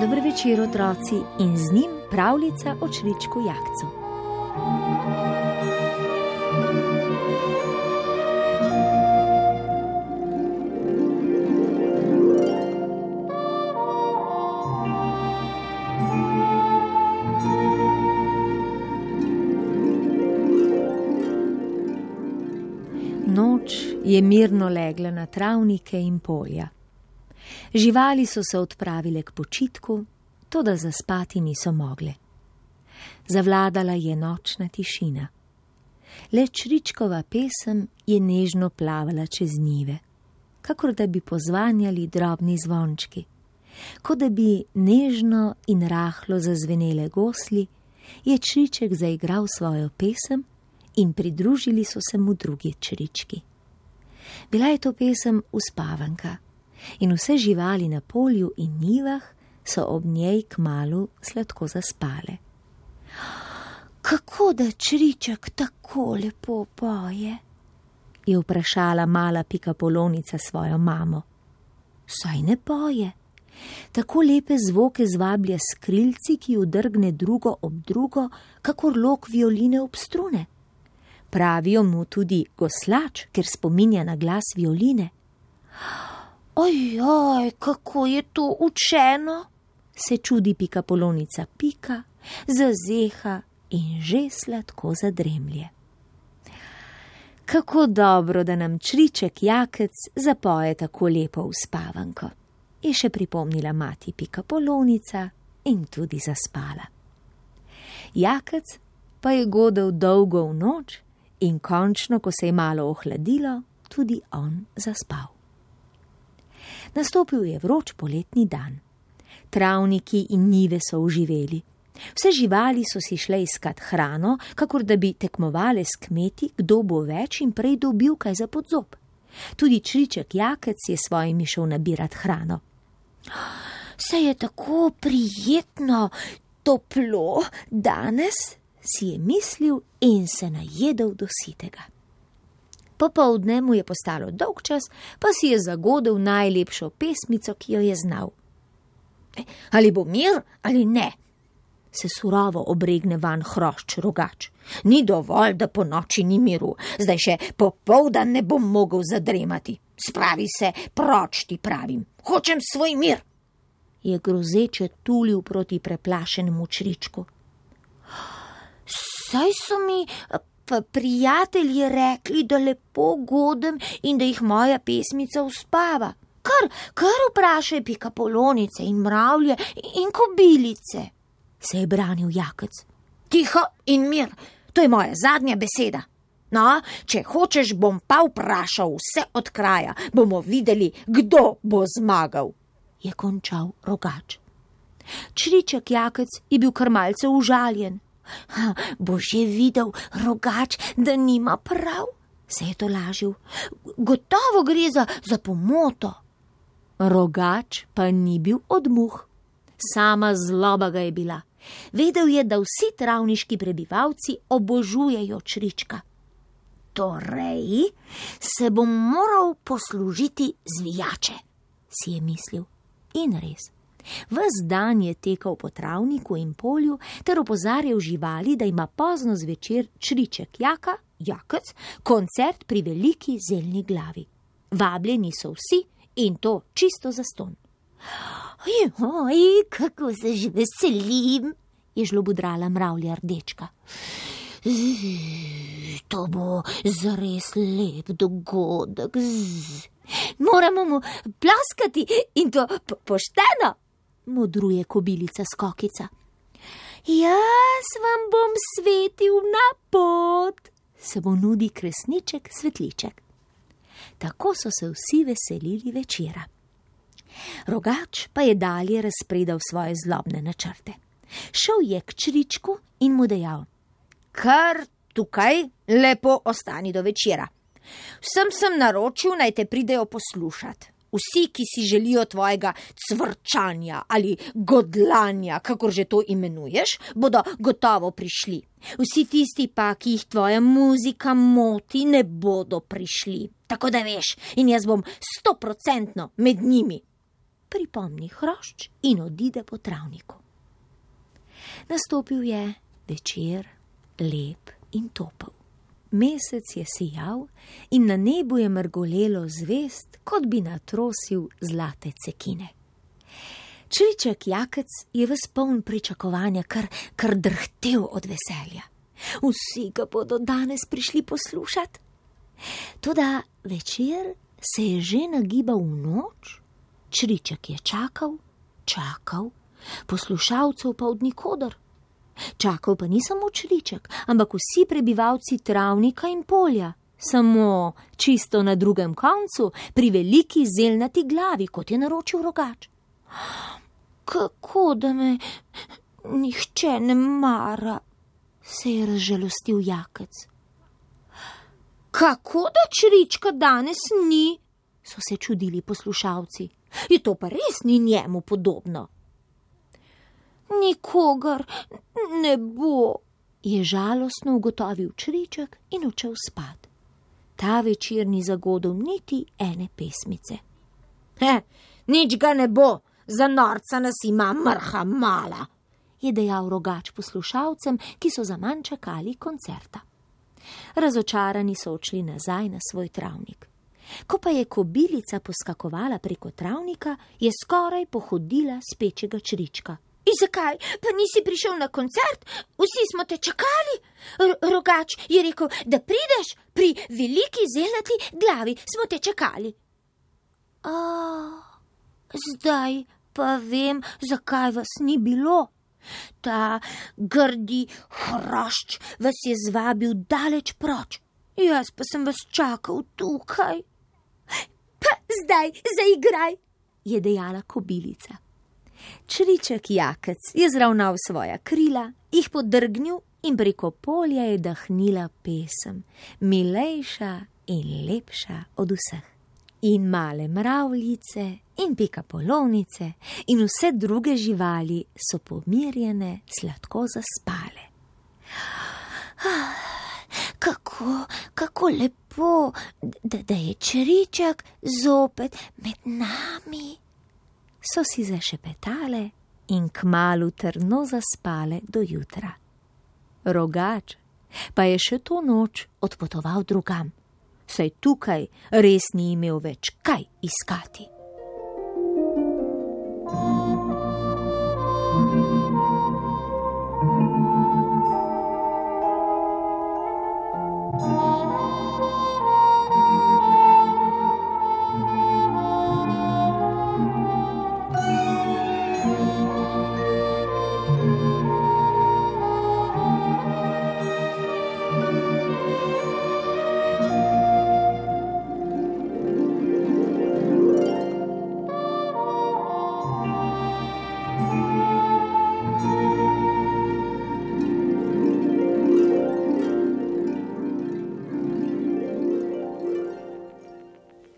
Dober večer, otroci, in z njim pravljica o čričku Jakcu. Noč je mirno legla na travnike in polja. Živali so se odpravile k počitku, toda zaspati niso mogle. Zavladala je nočna tišina. Le čričkova pesem je nežno plavala čez njive, kakor da bi pozvanjali drobni zvončki. Kot da bi nežno in rahlo zazvenele gosli, je čriček zaigral svojo pesem in pridružili so se mu drugi črički. Bila je to pesem uspavanka in vse živali na polju in njivah so ob njej kmalu sladko zaspale. Kako da čriček tako lepo poje? Je vprašala mala Pikapolonica svojo mamo. Saj ne poje. Tako lepe zvoke zvablja s krilci, ki udrgne drugo ob drugo, kakor lok violine ob strune. Pravijo mu tudi goslač, ker spominja na glas violine. Ojoj, kako je to učeno, se čudi Pikapolonica Pika, zazeha in že sladko zadremlje. Kako dobro, da nam čriček Jakec zapoje tako lepo uspavanko, je še pripomnila mati Pikapolonica in tudi zaspala. Jakec pa je godel dolgo v noč in končno, ko se je malo ohladilo, tudi on zaspal. Nastopil je vroč poletni dan. Travniki in njive so oživeli. Vse živali so si šle iskat hrano, kakor da bi tekmovale s kmeti, kdo bo več in prej dobil kaj za podzob. Tudi čriček Jakec je svojimi šel nabirat hrano. Se je tako prijetno, toplo danes, si je mislil in se najedel do sitega. Popoldne mu je postalo dolgčas, pa si je zagodel najlepšo pesmico, ki jo je znal. Ali bo mir ali ne? Se surovo obregne van hrošč Rogač. Ni dovolj, da po noči ni miru, zdaj še popoldan ne bom mogel zadremati. Spravi se, proč ti pravim, hočem svoj mir, je grozeče tulil proti preplašenemu čričku. Saj so mi prijatelji rekli, da lepo godem in da jih moja pesmica uspava. Kar vprašaj Pikapolonice in mravlje in kobilice, se je branil Jakec. Tiho in mir, to je moja zadnja beseda. No, če hočeš, bom pa vprašal vse od kraja, bomo videli, kdo bo zmagal, je končal Rogač. Čriček Jakec je bil kar malce užaljen. Bo že videl Rogač, da nima prav, se je tolažil. Gotovo gre za pomoto. Rogač pa ni bil od muh. Sama zloba ga je bila. Vedel je, da vsi travniški prebivalci obožujejo črička. Torej se bom moral poslužiti zvijače, si je mislil. In res. Ves dan je tekal po travniku in polju ter opozarjal živali, da ima pozno zvečer čriček Jakec koncert pri veliki zeljni glavi. Vabljeni so vsi in to čisto zastonj. Oj, kako se že veselim, je žlobudrala mravlja Rdečka. To bo zares lep dogodek. Moramo mu ploskati in to pošteno, modruje kobilica Skokica. Jaz vam bom svetil na pot, se bo nudi kresniček Svetliček. Tako so se vsi veselili večera. Rogač pa je dalje razpredal svoje zlobne načrte. Šel je k čričku in mu dejal: Kar tukaj lepo ostani do večera. Vsem sem naročil, naj te pridejo poslušat. Vsi, ki si želijo tvojega cvrčanja ali godlanja, kakor že to imenuješ, bodo gotovo prišli. Vsi tisti pa, ki jih tvoja muzika moti, ne bodo prišli. Tako da veš, in jaz bom 100% med njimi. Pripomni hrošč in odide po travniku. Nastopil je večer, lep in topel. Mesec je sijal in na nebu je mrgolelo zvezd, kot bi natrosil zlate cekine. Čriček Jakec je ves poln pričakovanja, kar drhtel od veselja. Vsi ga bodo danes prišli poslušati. Toda večer se je že nagibal v noč, Čriček je čakal, poslušalcev pa od nikoder. Čakal pa ni samo Čriček, ampak vsi prebivalci travnika in polja, samo čisto na drugem koncu, pri veliki zelnati glavi, kot je naročil Rogač. Kako da me nihče ne mara, se je razžalostil Jakec. Kako da Črička danes ni, so se čudili poslušalci. Je to pa res ni njemu podobno. Nikogar ne bo, je žalostno ugotovil Čriček in odšel spat. Ta večer ni zagodel niti ene pesmice. Nič ga ne bo, za norca nas ima mrha mala, je dejal Rogač poslušalcem, ki so zaman čakali koncerta. Razočarani so odšli nazaj na svoj travnik. Ko pa je kobilica poskakovala preko travnika, je skoraj pohodila spečega Črička. In zakaj pa nisi prišel na koncert? Vsi smo te čakali. Rogač je rekel, da prideš, pri veliki zelnati glavi smo te čakali. Zdaj pa vem, zakaj vas ni bilo. Ta grdi hrošč vas je zvabil daleč proč. Jaz pa sem vas čakal tukaj. Pa zdaj zaigraj, je dejala kobilica. Čriček Jakec je zravnal svoja krila, jih podrgnil in preko polja je dahnila pesem, milejša in lepša od vseh. In male mravljice in pikapolonice in vse druge živali so pomirjene sladko zaspale. Kako lepo, da je Čriček zopet med nami, so si zašepetale in kmalu trdno zaspale do jutra. Rogač pa je še to noč odpotoval drugam, saj tukaj res ni imel več kaj iskati.